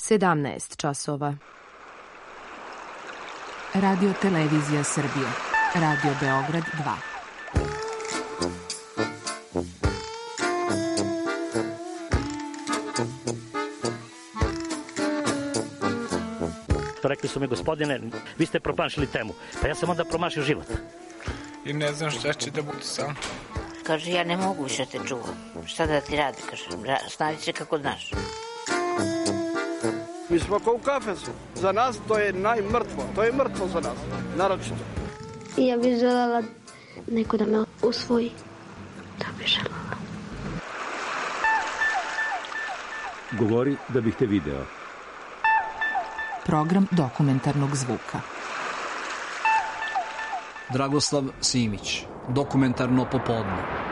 17 časova. Radio Televizija Srbije. Radio Beograd 2. Rekli su mi, gospodine, vi ste promašili temu. Pa ja sam onda promašio život. I ne znam šta će da bude sam. Kaže, ja ne mogu više te čuvam. Šta da ti radi? Kaže, snađi se kako znaš. Mi smo kao u kafesu. Za nas to je najmrtvo. To je mrtvo za nas. Naročito. I ja bih željela neko da me usvoji. Da bih željela. Govori da bih te video. Program dokumentarnog zvuka. Dragoslav Simić. Dokumentarno popodne.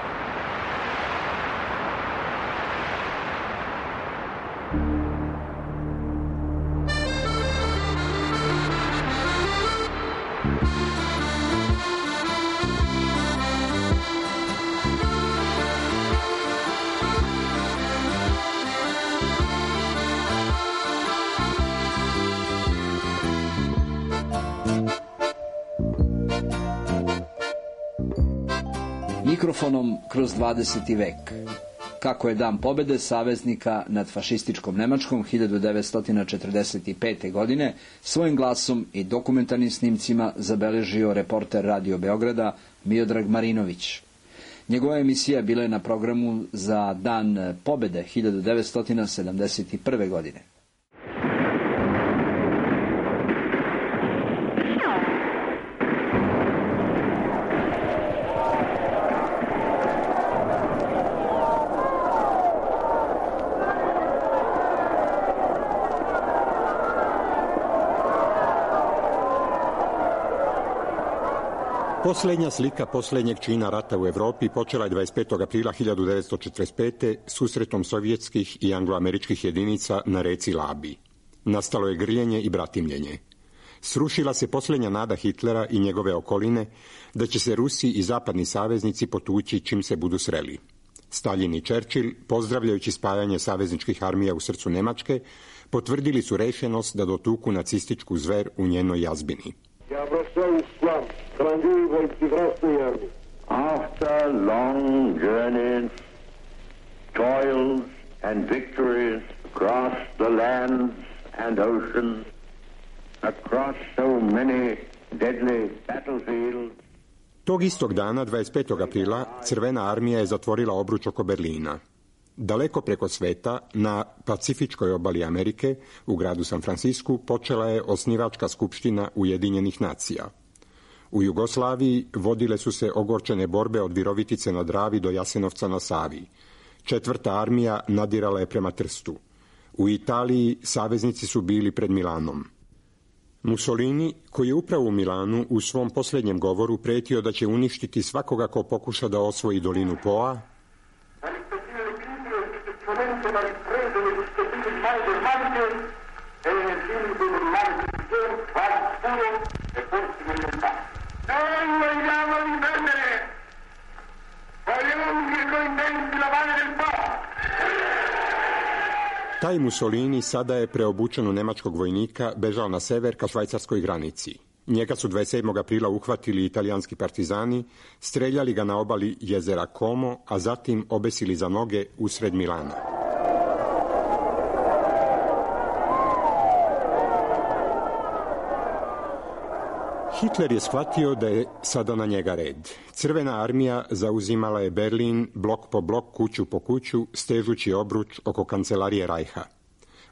Mikrofonom kroz 20. vek. Kako je Dan pobede saveznika nad fašističkom Nemačkom 1945. godine svojim glasom i dokumentarnim snimcima zabeležio reporter Radio Beograda Miodrag Marinović. Njegova emisija bila je na programu za Dan pobede 1971. godine. Posljednja slika posljednjeg čina rata u Evropi počela je 25. aprila 1945. susretom sovjetskih i angloameričkih jedinica na reci Labi. Nastalo je grljenje i bratimljenje. Srušila se posljednja nada Hitlera i njegove okoline da će se Rusi i zapadni saveznici potući čim se budu sreli. Stalin i Churchill, pozdravljajući spajanje savezničkih armija u srcu Nemačke, potvrdili su rešenost da dotuku nacističku zver u njenoj jazbini. After long journeys, toils and victories across the lands and oceans, across so many deadly battlefields. Tog istog dana, 25. aprila, Crvena armija je zatvorila obruč oko Berlina. Daleko preko sveta, na Pacifičkoj obali Amerike, u gradu San Francisku, počela je osnivačka skupština Ujedinjenih nacija. U Jugoslaviji vodile su se ogorčene borbe od Virovitice na Dravi do Jasenovca na Savi. 4. armija nadirala je prema Trstu. U Italiji saveznici su bili pred Milanom. Mussolini, koji je upravo u Milanu u svom posljednjem govoru pretio da će uništiti svakoga ko pokuša da osvoji dolinu Poa, taj Mussolini sada je preobučen u nemačkog vojnika bežao na sever ka švajcarskoj granici. Njega su 27. aprila uhvatili italijanski partizani, streljali ga na obali jezera Como, a zatim obesili za noge usred Milana. Hitler je shvatio da je sada na njega red. Crvena armija zauzimala je Berlin blok po blok, kuću po kuću, stežući obruč oko kancelarije Rajha.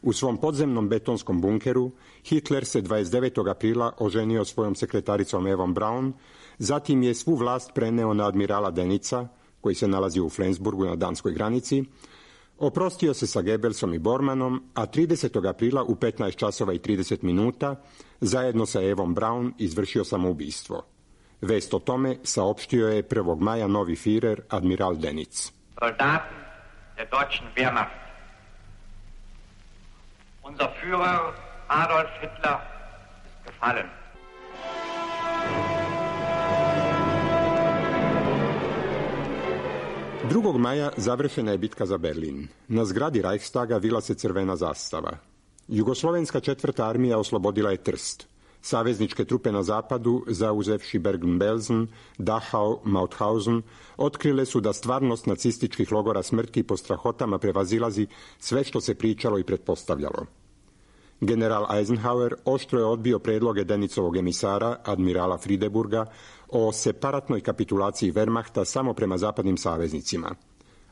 U svom podzemnom betonskom bunkeru Hitler se 29. aprila oženio svojom sekretaricom Evom Braun, zatim je svu vlast preneo na admirala Denica, koji se nalazi u Flensburgu na danskoj granici, oprostio se sa Goebbelsom i Bormanom, a 30. aprila u 15 časova i 30 minuta zajedno sa Evom Braun izvršio samoubistvo. Vest o tome saopštio je 1. maja novi Führer admiral Denic. Soldaten der deutschen Wehrmacht. Unser Führer Adolf Hitler ist gefallen. Drugog maja završena je bitka za Berlin. Na zgradi Reichstaga vila se crvena zastava. Jugoslovenska 4. armija oslobodila je Trst. Savezničke trupe na zapadu, zauzevši Bergen-Belsen, Dachau, Mauthausen, otkrile su da stvarnost nacističkih logora smrti po strahotama prevazilazi sve što se pričalo i pretpostavljalo. General Eisenhower oštro je odbio predloge Denicovog emisara, admirala Friedeburga, o separatnoj kapitulaciji Wehrmachta samo prema zapadnim saveznicima.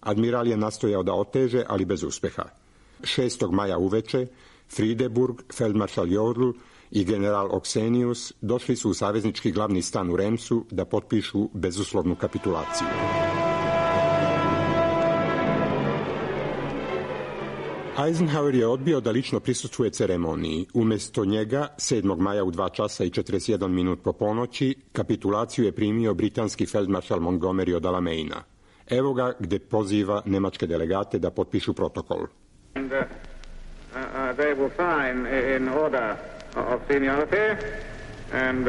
Admiral je nastojao da oteže, ali bez uspeha. 6. maja uveče Friedeburg, feldmaršal Jodl i general Oksenius došli su u saveznički glavni stan u Remsu da potpišu bezuslovnu kapitulaciju. Eisenhower je odbio da lično prisustvuje ceremoniji. Umjesto njega, 7. maja u 2 časa i 41 minut po ponoći, kapitulaciju je primio britanski feldmaršal Montgomery od Alameina. Evo ga gdje poziva nemačke delegate da potpišu protokol. And, they will sign in order of seniority, and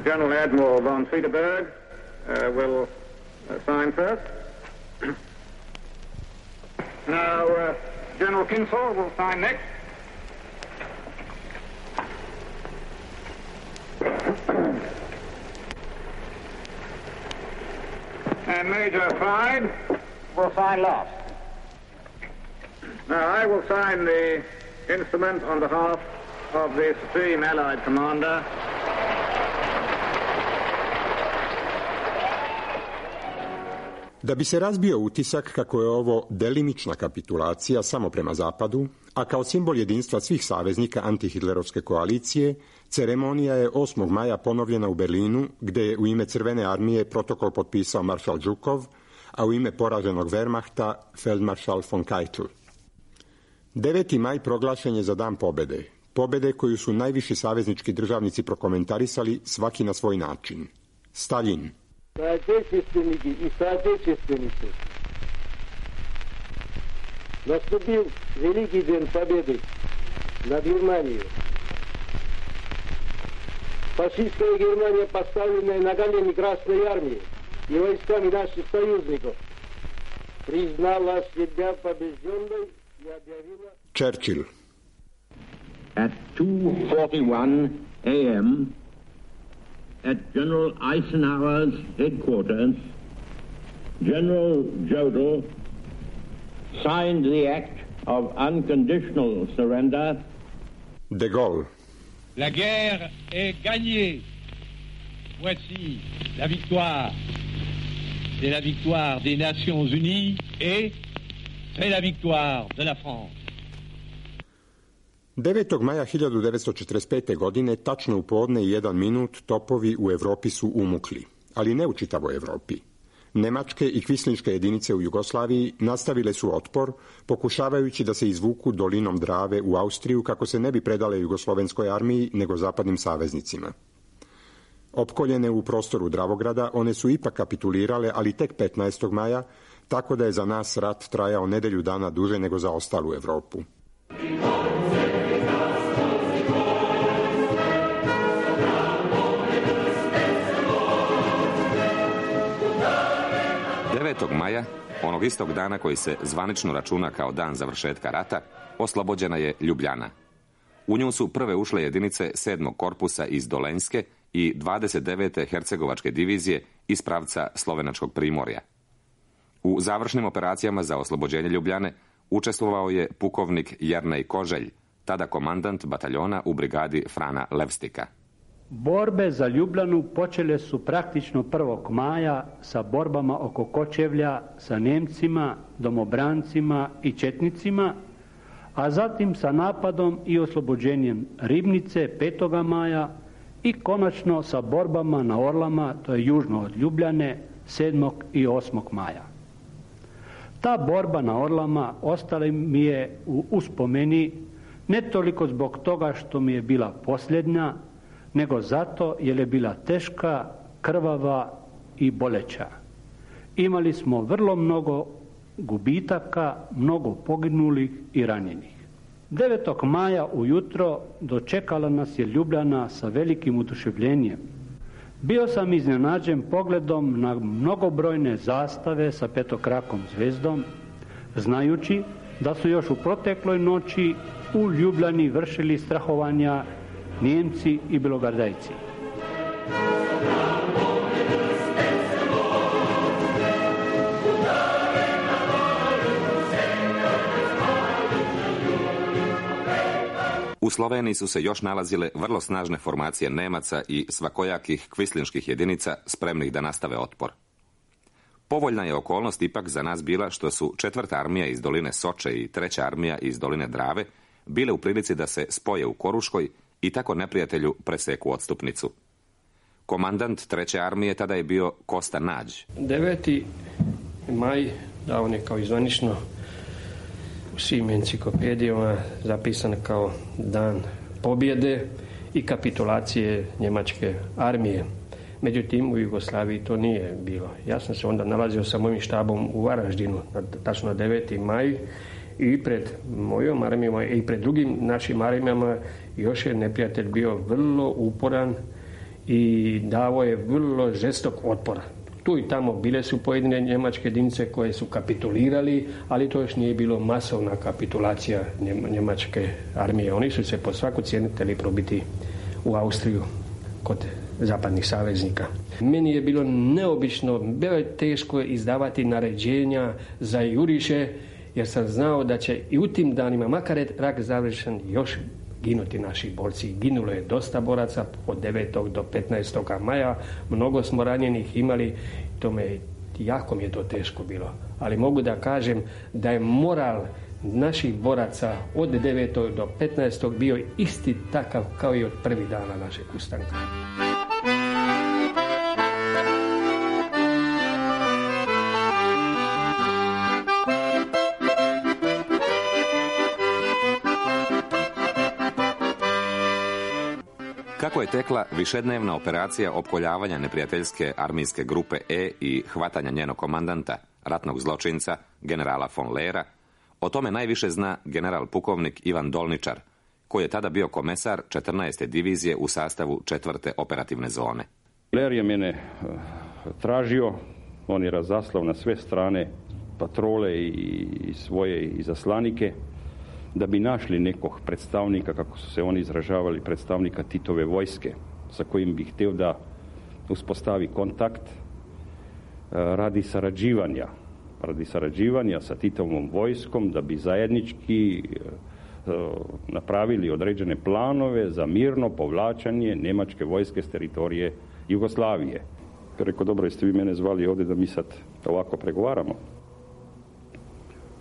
General Admiral von Friedeburg will sign first. Now, General Kinsall will sign next. And Major Clyde will sign last. Now, I will sign the instrument on behalf of the Supreme Allied Commander. Da bi se razbio utisak kako je ovo delimična kapitulacija samo prema zapadu, a kao simbol jedinstva svih saveznika antihitlerovske koalicije, ceremonija je 8. maja ponovljena u Berlinu, gdje je u ime Crvene armije protokol potpisao maršal Žukov, a u ime poraženog Wehrmachta feldmaršal von Keitel. 9. maj proglašen je za dan pobjede. Pobjede koju su najviši saveznički državnici prokomentarisali svaki na svoj način. Stalin. Соотечественники и соотечественницы, наступил великий день победы над Германией. Фашистская Германия, поставленная на колени Красной армии и войсками наших союзников, признала себя побежденной и объявила... Churchill. At 2:41 a.m., at General Eisenhower's headquarters, General Jodl signed the act of unconditional surrender. De Gaulle. La guerre est gagnée. Voici la victoire. C'est la victoire des Nations Unies et c'est la victoire de la France. 9. maja 1945. godine, tačno u podne i 1 minut, topovi u Europi su umukli, ali ne u čitavoj Europi. Nemačke i kvislinške jedinice u Jugoslaviji nastavile su otpor, pokušavajući da se izvuku dolinom Drave u Austriju kako se ne bi predale Jugoslovenskoj armiji nego zapadnim saveznicima. Opkoljene u prostoru Dravograda, one su ipak kapitulirale, ali tek 15. maja, tako da je za nas rat trajao nedelju dana duže nego za ostalu Europu. 9. maja, onog istog dana koji se zvanično računa kao dan završetka rata, oslobođena je Ljubljana. U nju su prve ušle jedinice 7. korpusa iz Dolenjske i 29. hercegovačke divizije iz pravca Slovenačkog primorja. U završnim operacijama za oslobođenje Ljubljane učestvovao je pukovnik Jernej Koželj, tada komandant bataljona u brigadi Frana Levstika. Borbe za Ljubljanu počele su praktično 1. maja sa borbama oko Kočevlja sa Nemcima, domobrancima i četnicima, a zatim sa napadom i oslobođenjem Ribnice 5. maja i konačno sa borbama na Orlama, to je južno od Ljubljane, 7. i 8. maja. Ta borba na Orlama ostala mi je u uspomeni ne toliko zbog toga što mi je bila posljednja, nego zato jer je bila teška, krvava i boleća. Imali smo vrlo mnogo gubitaka, mnogo poginulih i ranjenih. 9. maja ujutro dočekala nas je Ljubljana sa velikim oduševljenjem. Bio sam iznenađen pogledom na mnogobrojne zastave sa petokrakom zvezdom, znajući da su još u protekloj noći u Ljubljani vršili strahovanja Nijemci i Belogardajci. U Sloveniji su se još nalazile vrlo snažne formacije Nemaca i svakojakih kvislinških jedinica spremnih da nastave otpor. Povoljna je okolnost ipak za nas bila što su 4. armija iz doline Soče i 3. armija iz doline Drave bile u prilici da se spoje u Koruškoj i tako neprijatelju preseku odstupnicu. Komandant 3. armije tada je bio Kosta Nađ. 9. maj, da on je kao izvanično u svim enciklopedijama zapisan kao dan pobjede i kapitulacije njemačke armije. Međutim, u Jugoslaviji to nije bilo. Ja sam se onda nalazio sa mojim štabom u Varaždinu, tačno 9. maj, i pred mojom armijom i pred drugim našim armijama još je neprijatelj bio vrlo uporan i davo je vrlo žestok otpor. Tu i tamo bile su pojedine njemačke jedinice koje su kapitulirali, ali to još nije bilo masovna kapitulacija njemačke armije. Oni su se po svaku cijenu htjeli probiti u Austriju kod zapadnih saveznika. Meni je bilo neobično, bilo je teško izdavati naređenja za juriše, jer sam znao da će i u tim danima, makar je rat završen, još ginuti naši borci. Ginulo je dosta boraca od 9. do 15. maja. Mnogo smo ranjenih imali. Jako mi je to teško bilo. Ali mogu da kažem da je moral naših boraca od 9. do 15. bio isti takav kao i od prvih dana našeg ustanka. Kako je tekla višednevna operacija opkoljavanja neprijateljske armijske grupe E i hvatanja njenog komandanta, ratnog zločinca, generala von Lehra, o tome najviše zna general pukovnik Ivan Dolničar, koji je tada bio komesar 14. divizije u sastavu 4. operativne zone. Lehr je mene tražio, on je razaslao na sve strane patrole i svoje izaslanike, da bi našli nekog predstavnika, kako su se oni izražavali, predstavnika Titove vojske, sa kojim bi htio da uspostavi kontakt radi sarađivanja sa Titovom vojskom, da bi zajednički napravili određene planove za mirno povlačenje njemačke vojske s teritorije Jugoslavije. Rekao, dobro, jeste vi mene zvali ovdje da mi sad ovako pregovaramo?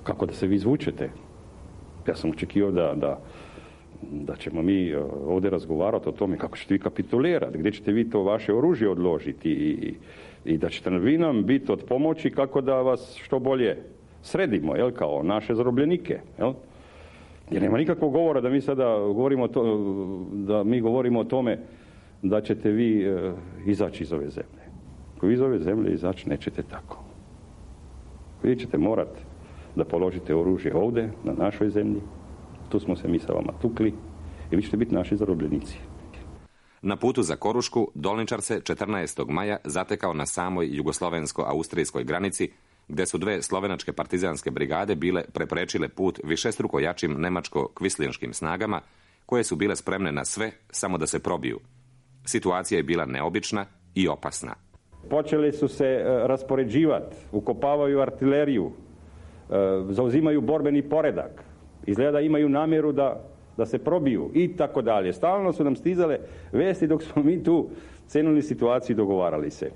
Kako da se vi izvučete? Ja sam očekivao da ćemo mi ovdje razgovarati o tome kako ćete vi kapitulirati, gdje ćete vi to vaše oružje odložiti i da ćete vi nam biti od pomoći kako da vas što bolje sredimo, kao naše zarobljenike. Jer nema nikakvog govora da mi sada govorimo o tome da ćete vi izaći iz ove zemlje. Ako vi iz ove zemlje izaći nećete tako. Vi ćete morati da položite oružje ovdje, na našoj zemlji. Tu smo se mi sa vama tukli i vi ćete biti naši zarobljenici. Na putu za Korušku Dolničar se 14. maja zatekao na samoj jugoslovensko-austrijskoj granici, gdje su 2 slovenačke partizanske brigade bile preprečile put višestruko jačim nemačko-kvislinškim snagama, koje su bile spremne na sve, samo da se probiju. Situacija je bila neobična i opasna. Počeli su se raspoređivati, ukopavaju artileriju, zauzimaju borbeni poredak, izgleda imaju namjeru da se probiju i tako dalje. Stalno su nam stizale vesti dok smo mi tu cenili situaciju i dogovarali se.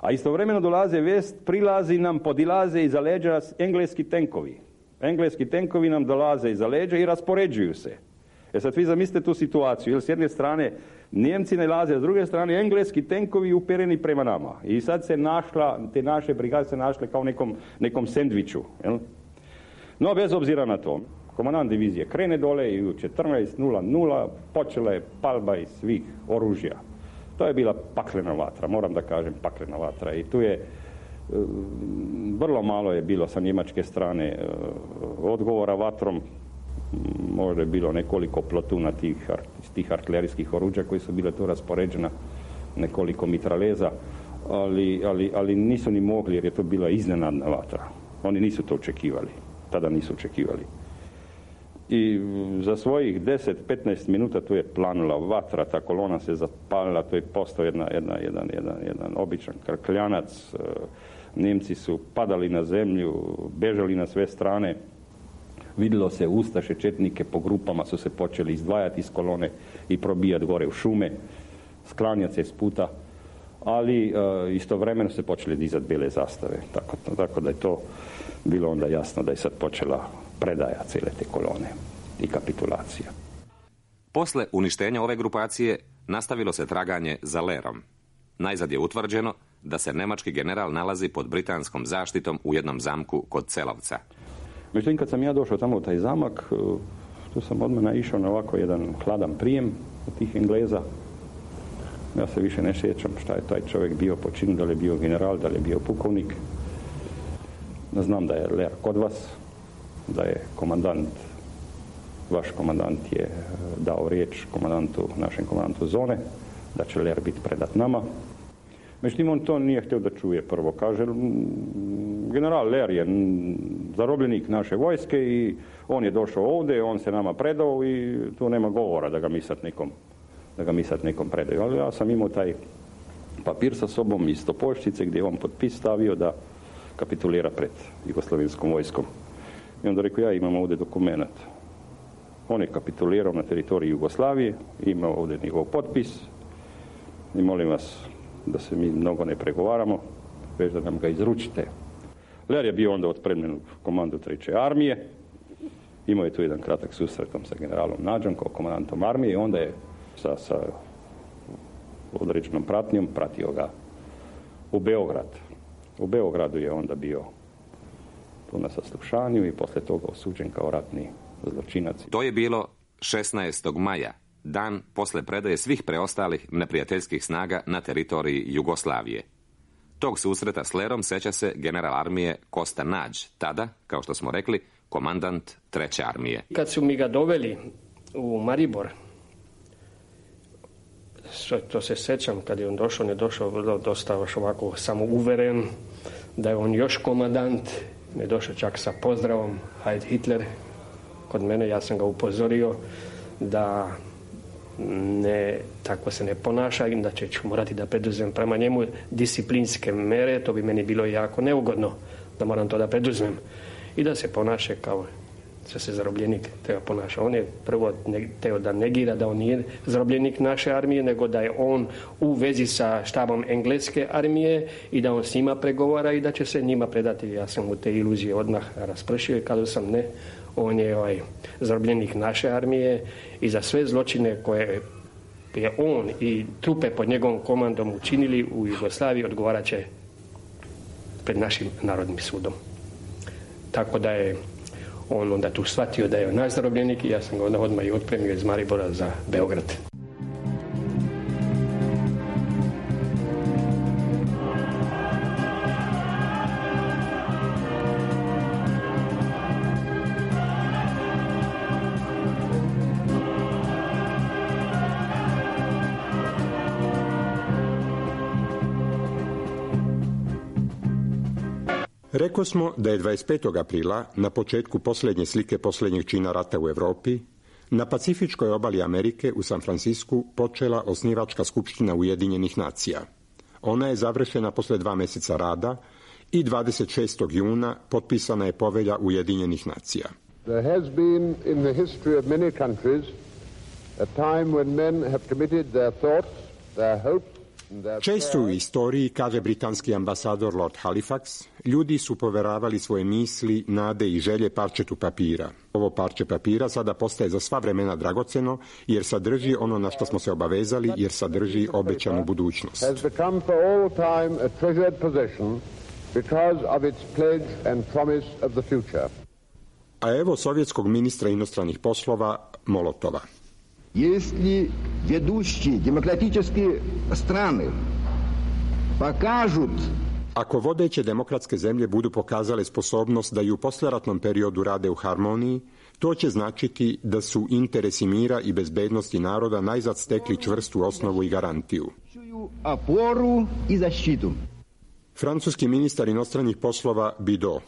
A istovremeno dolaze prilazi nam, podilaze iza leđa engleski tenkovi. Engleski tenkovi nam dolaze iza leđa i raspoređuju se. Sad vi zamislite tu situaciju, jer s jedne strane Njemci nalaze, a s druge strane engleski tenkovi upereni prema nama. I sad se te naše brigade se našle kao nekom sendviču. No, bez obzira na to, komandant divizije krene dole i u 14:00 počela je palba iz svih oružja. To je bila paklena vatra, moram da kažem paklena vatra. I tu je vrlo malo je bilo sa njemačke strane odgovora vatrom. Možda je bilo nekoliko plotuna tih artilerijskih oruđa koji su bile tu raspoređena, nekoliko mitraleza, ali nisu ni mogli jer je to bila iznenadna vatra. Oni nisu to očekivali, tada nisu očekivali. i za svojih 10-15 minuta tu je planula vatra, ta kolona se zapalila, to je postao jedan običan krkljanac. Nemci su padali na zemlju, bežali na sve strane. Vidjelo se ustaše, četnike po grupama su se počeli izdvajati iz kolone i probijati gore u šume, sklanjati se iz puta, ali istovremeno se počeli dizati bijele zastave. Tako da je to bilo onda jasno da je sad počela predaja cijele te kolone i kapitulacija. Posle uništenja ove grupacije nastavilo se traganje za Lerom. Najzad je utvrđeno da se nemački general nalazi pod britanskom zaštitom u jednom zamku kod Celovca. Međutim, kad sam ja došao tamo u taj zamak, tu sam odmah naišao na ovako jedan hladan prijem od tih Engleza. Ja se više ne sjećam šta je taj čovjek bio po činu, da li je bio general, da li je bio pukovnik. Znam da je Ler kod vas, da je vaš komandant je dao riječ našem komandantu zone, da će Ler biti predat nama. Međutim, on to nije htio da čuje prvo. Kaže, general Ler je zarobljenik naše vojske i on je došao ovdje, on se nama predao i tu nema govora da ga mi sad nekom predaju. Ali ja sam imao taj papir sa sobom iz Topoljčice gdje je on potpis stavio da kapitulira pred jugoslavenskom vojskom. I onda rekao, ja imam ovdje dokumenat. On je kapitulirao na teritoriji Jugoslavije, imao ovdje njegov potpis i molim vas da se mi mnogo ne pregovaramo, već da nam ga izručite. Ler je bio onda otpremljen u komandu 3. armije, imao je tu jedan kratak susretom sa generalom Nađom kao komandantom armije i onda je sa određenom pratnjom pratio ga u Beograd. U Beogradu je onda bio tu na saslušanju i poslije toga osuđen kao ratni zločinac. To je bilo 16. maja, dan posle predaje svih preostalih neprijateljskih snaga na teritoriji Jugoslavije. Tog susreta s Lerom seća se general armije Kosta Nađ, tada, kao što smo rekli, komandant 3. armije. Kad su mi ga doveli u Maribor, to se sećam, kad je on došao, ne došao dosta ovako samouveren, da je on još komandant, ne došao čak sa pozdravom Heil Hitler kod mene. Ja sam ga upozorio da tako se ne ponaša i da ću morati da preduzmem prema njemu disciplinske mere. To bi meni bilo jako neugodno da moram to da preduzmem i da se ponaša kao se zarobljenik treba ponaša. On je prvo teo da negira da on nije zarobljenik naše armije, nego da je on u vezi sa štabom engleske armije i da on s njima pregovara i da će se njima predati. Ja sam mu te iluzije odmah raspršio i kazao sam ne, on je zarobljenik naše armije i za sve zločine koje je on i trupe pod njegovom komandom učinili u Jugoslaviji odgovarat će pred našim narodnim sudom. Tako da je on onda tu shvatio da je naš zarobljenik i ja sam ga onda odmah i otpremio iz Maribora za Beograd. Rekao smo da je 25. aprila, na početku posljednje slike posljednjeg čina rata u Europi, na Pacifičkoj obali Amerike u San Francisku počela osnivačka skupština Ujedinjenih nacija. Ona je završena posle 2 mjeseca rada i 26. juna potpisana je povelja Ujedinjenih nacija. There has been in the history of many countries a time when men have committed their thoughts, their hopes. Često u istoriji, kaže britanski ambasador Lord Halifax, ljudi su poveravali svoje misli, nade i želje parčetu papira. Ovo parče papira sada postaje za sva vremena dragoceno, jer sadrži ono na što smo se obavezali, jer sadrži obećanu budućnost. A evo sovjetskog ministra inostranih poslova Molotova. Если ведущие демократические страны покажут. Ako vodeće demokratske zemlje budu pokazale sposobnost da i u poslijeratnom periodu rade u harmoniji, to će značiti da su interesi mira i bezbednosti naroda najzad stekli čvrstu osnovu i garantiju. Oporu i zaštitu. Francuski ministar inostranih poslova Bidot.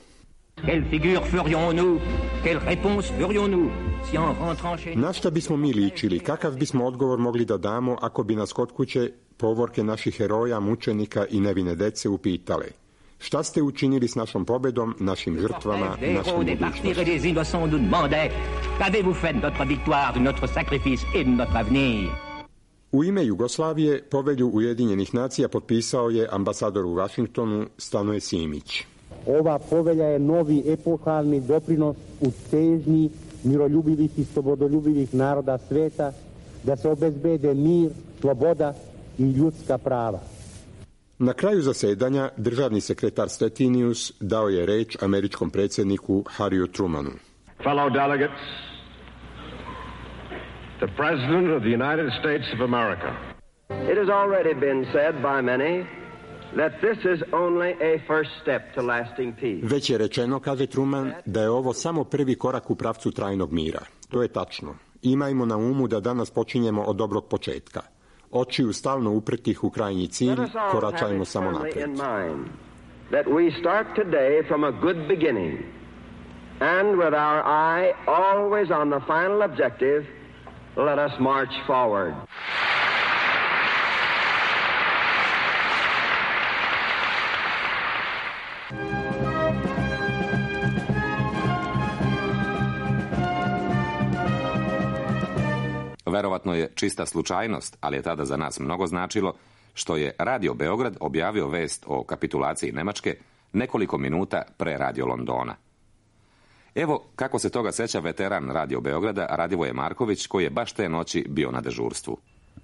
Quelle figure ferions-nous? Quelle réponse ferions-nous si en rentrant chez... Na šta bismo mi ličili? Kakav bismo odgovor mogli da damo ako bi nas kod kuće povorke naših heroja, mučenika i nevine dece upitale? Šta ste učinili s našom pobedom, našim žrtvama, našom budućnošću? U ime Jugoslavije povelju Ujedinjenih nacija potpisao je ambasador u Vašingtonu Stanoje Simić. Ova povelja je novi epohalni doprinos u težnji miroljubivih i slobodoljubivih naroda sveta da se obezbede mir, sloboda i ljudska prava. Na kraju zasedanja državni sekretar Stettinius dao je reč američkom predsjedniku Harryu Trumanu. Fellow delegates, the President of the United States of America. It has already been said by many that this is only a first step to lasting peace. Već je rečeno, kaže Truman, da je ovo samo prvi korak u pravcu trajnog mira. To je tačno. Imajmo na umu da danas počinjemo od dobrog početka. Očiju stalno upretih u krajnji cilj, koračajmo samo naprijed. That we start today from a good beginning and with our eye always on the final objective, let us march forward. Verovatno je čista slučajnost, ali je tada za nas mnogo značilo što je Radio Beograd objavio vest o kapitulaciji Nemačke nekoliko minuta pre Radio Londona. Evo kako se toga seća veteran Radio Beograda Radivoje Marković, koji je baš te noći bio na dežurstvu.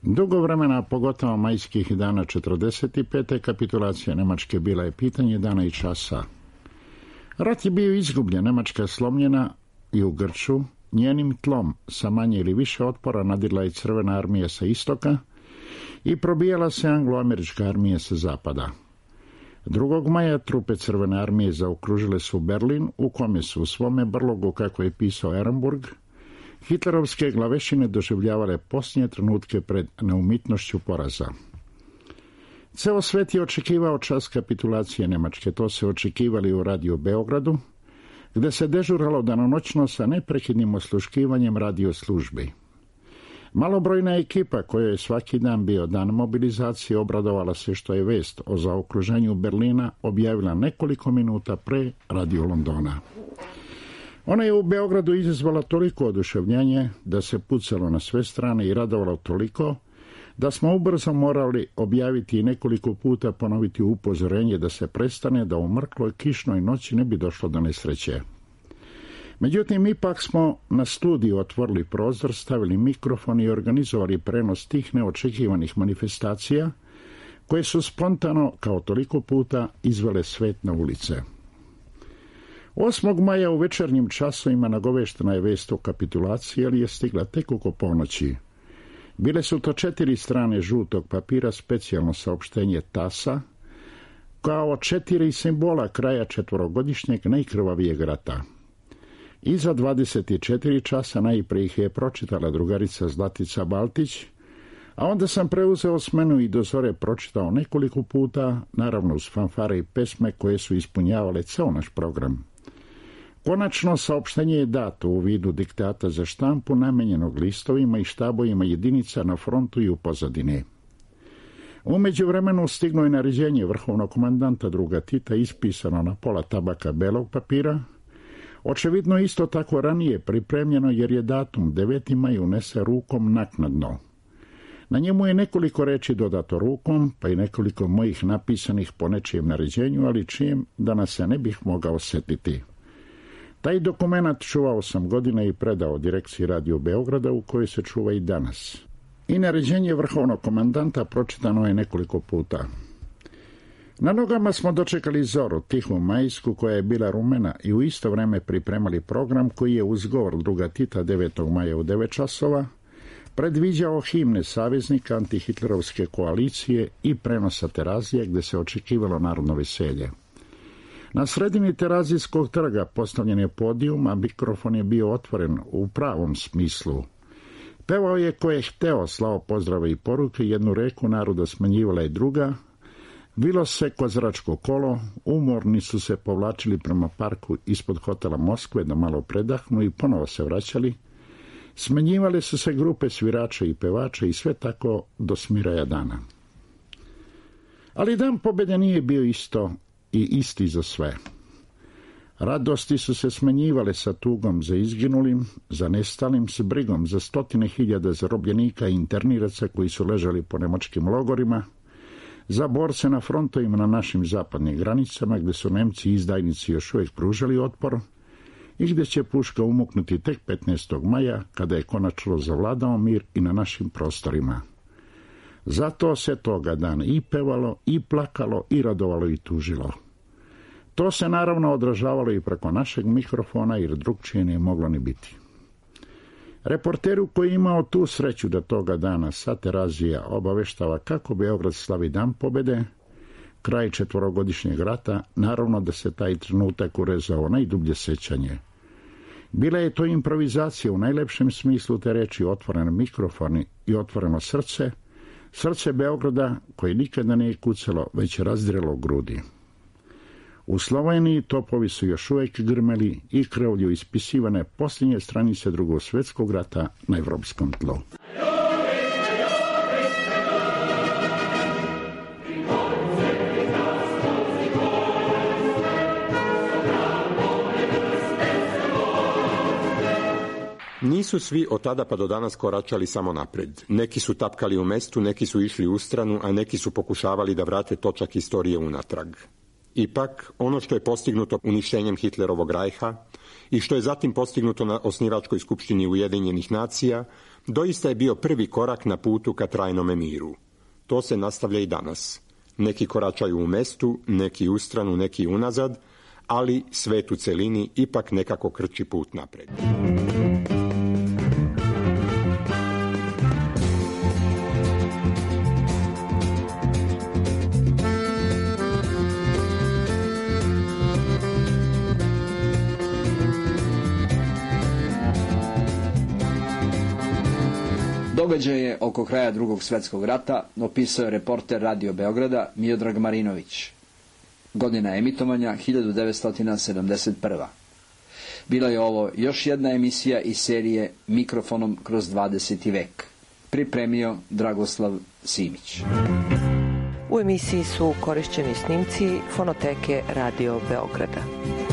Dugo vremena, pogotovo majskih dana 45. kapitulacija Nemačke bila je pitanje dana i časa. Rat je bio izgubljen, Nemačka je slomljena i u grču. Njenim tlom sa manje ili više otpora nadirla je Crvena armija sa istoka i probijala se anglo-američka armija sa zapada. 2. maja trupe Crvene armije zaokružile su Berlin, u kome su u svome brlogu, kako je pisao Ehrenburg, hitlerovske glavešine doživljavale posljednje trenutke pred neumitnošću poraza. Ceo svet je očekivao čas kapitulacije Nemačke. To se očekivali u Radio Beogradu, gde se dežuralo danonoćno sa neprekidnim osluškivanjem radio službi. Malobrojna ekipa, kojoj je svaki dan bio dan mobilizacije, obradovala se što je vest o zaokruženju Berlina objavila nekoliko minuta pre Radio Londona. Ona je u Beogradu izazvala toliko oduševljenje da se pucalo na sve strane i radovalo toliko da smo ubrzo morali objaviti i nekoliko puta ponoviti upozorenje da se prestane, da u mrkloj kišnoj noći ne bi došlo do nesreće. Međutim, ipak smo na studiju otvorili prozor, stavili mikrofon i organizovali prenos tih neočekivanih manifestacija koje su spontano, kao toliko puta, izvele svet na ulice. 8. maja u večernjim časovima nagoveštena je vest o kapitulaciji, ali je stigla tek oko ponoći. Bile su to 4 strane žutog papira, specijalno saopštenje TAS-a, kao 4 simbola kraja 4-godišnjeg najkrvavijeg rata. Iza 24 časa najprije ih je pročitala drugarica Zlatica Baltić, a onda sam preuzeo smenu i do zore pročitao nekoliko puta, naravno uz fanfare i pesme koje su ispunjavale ceo naš program. Konačno saopštenje je dato u vidu diktata za štampu namenjenog listovima i štabovima jedinica na frontu i u pozadini. U međuvremenu stiglo je naređenje vrhovnog komandanta druga Tita ispisano na pola tabaka belog papira, očevidno isto tako ranije pripremljeno jer je datum 9. maj unese rukom naknadno. Na njemu je nekoliko reči dodato rukom, pa i nekoliko mojih napisanih po nečijem naređenju, ali čijem danas se ne bih mogao setiti. Taj dokumenat čuvao sam godine i predao direkciji Radio Beograda, u kojoj se čuva i danas. I naređenje vrhovnog komandanta pročitano je nekoliko puta. Na nogama smo dočekali zoru, tihu majsku, koja je bila rumena, i u isto vreme pripremali program koji je uz govor druga Tita 9. maja u 9 časova predviđao himne saveznika antihitlerovske koalicije i prenosa Terazije, gde se očekivalo narodno veselje. Na sredini Terazijskog trga postavljen je podijum, a mikrofon je bio otvoren u pravom smislu. Pevao je ko je hteo, slao pozdrave i poruke, jednu reku naroda smanjivala i druga, Vilo se kozaračko kolo, umorni su se povlačili prema parku ispod hotela Moskve da malo predahnu i ponovo se vraćali. Smenjivale su se grupe svirača i pevača i sve tako do smiraja dana. Ali dan pobjede nije bio isto i isti za sve. Radosti su se smenjivale sa tugom za izginulim, za nestalim, s brigom za 100.000 zarobljenika i interniraca koji su ležali po nemačkim logorima, za borce na frontovima na našim zapadnim granicama gdje su Nemci i izdajnici još uvijek pružali otpor i gdje će puška umuknuti tek 15. maja kada je konačno zavladao mir i na našim prostorima. Zato se toga dana i pevalo, i plakalo, i radovalo, i tužilo. To se naravno odražavalo i preko našeg mikrofona jer drugčije nije moglo ni biti. Reporteru koji je imao tu sreću da toga dana sa Terazija obaveštava kako Beograd slavi dan pobjede, kraj 4-godišnjeg rata, naravno da se taj trenutak urezao najdublje sećanje. Bila je to improvizacija u najlepšem smislu te reči, otvoren mikrofon i otvoreno srce, srce Beograda koje nikada nije kucalo, već razdirelo grudi. U Sloveniji topovi su još uvijek grmeli i krvlju ispisivane posljednje stranice Drugog svjetskog rata na evropskom tlu. Nisu svi od tada pa do danas koračali samo napred. Neki su tapkali u mestu, neki su išli u stranu, a neki su pokušavali da vrate točak istorije unatrag. Ipak, ono što je postignuto uništenjem Hitlerovog Rajha i što je zatim postignuto na osnivačkoj skupštini Ujedinjenih nacija, doista je bio prvi korak na putu ka trajnome miru. To se nastavlja i danas. Neki koračaju u mestu, neki u stranu, neki unazad, ali svet u celini ipak nekako krči put napred. Događaje oko kraja Drugog svjetskog rata opisao je reporter Radio Beograda Miodrag Marinović. Godina emitovanja 1971. Bila je ovo još jedna emisija iz serije Mikrofonom kroz 20. vek. Pripremio Dragoslav Simić. U emisiji su korišćeni snimci fonoteke Radio Beograda.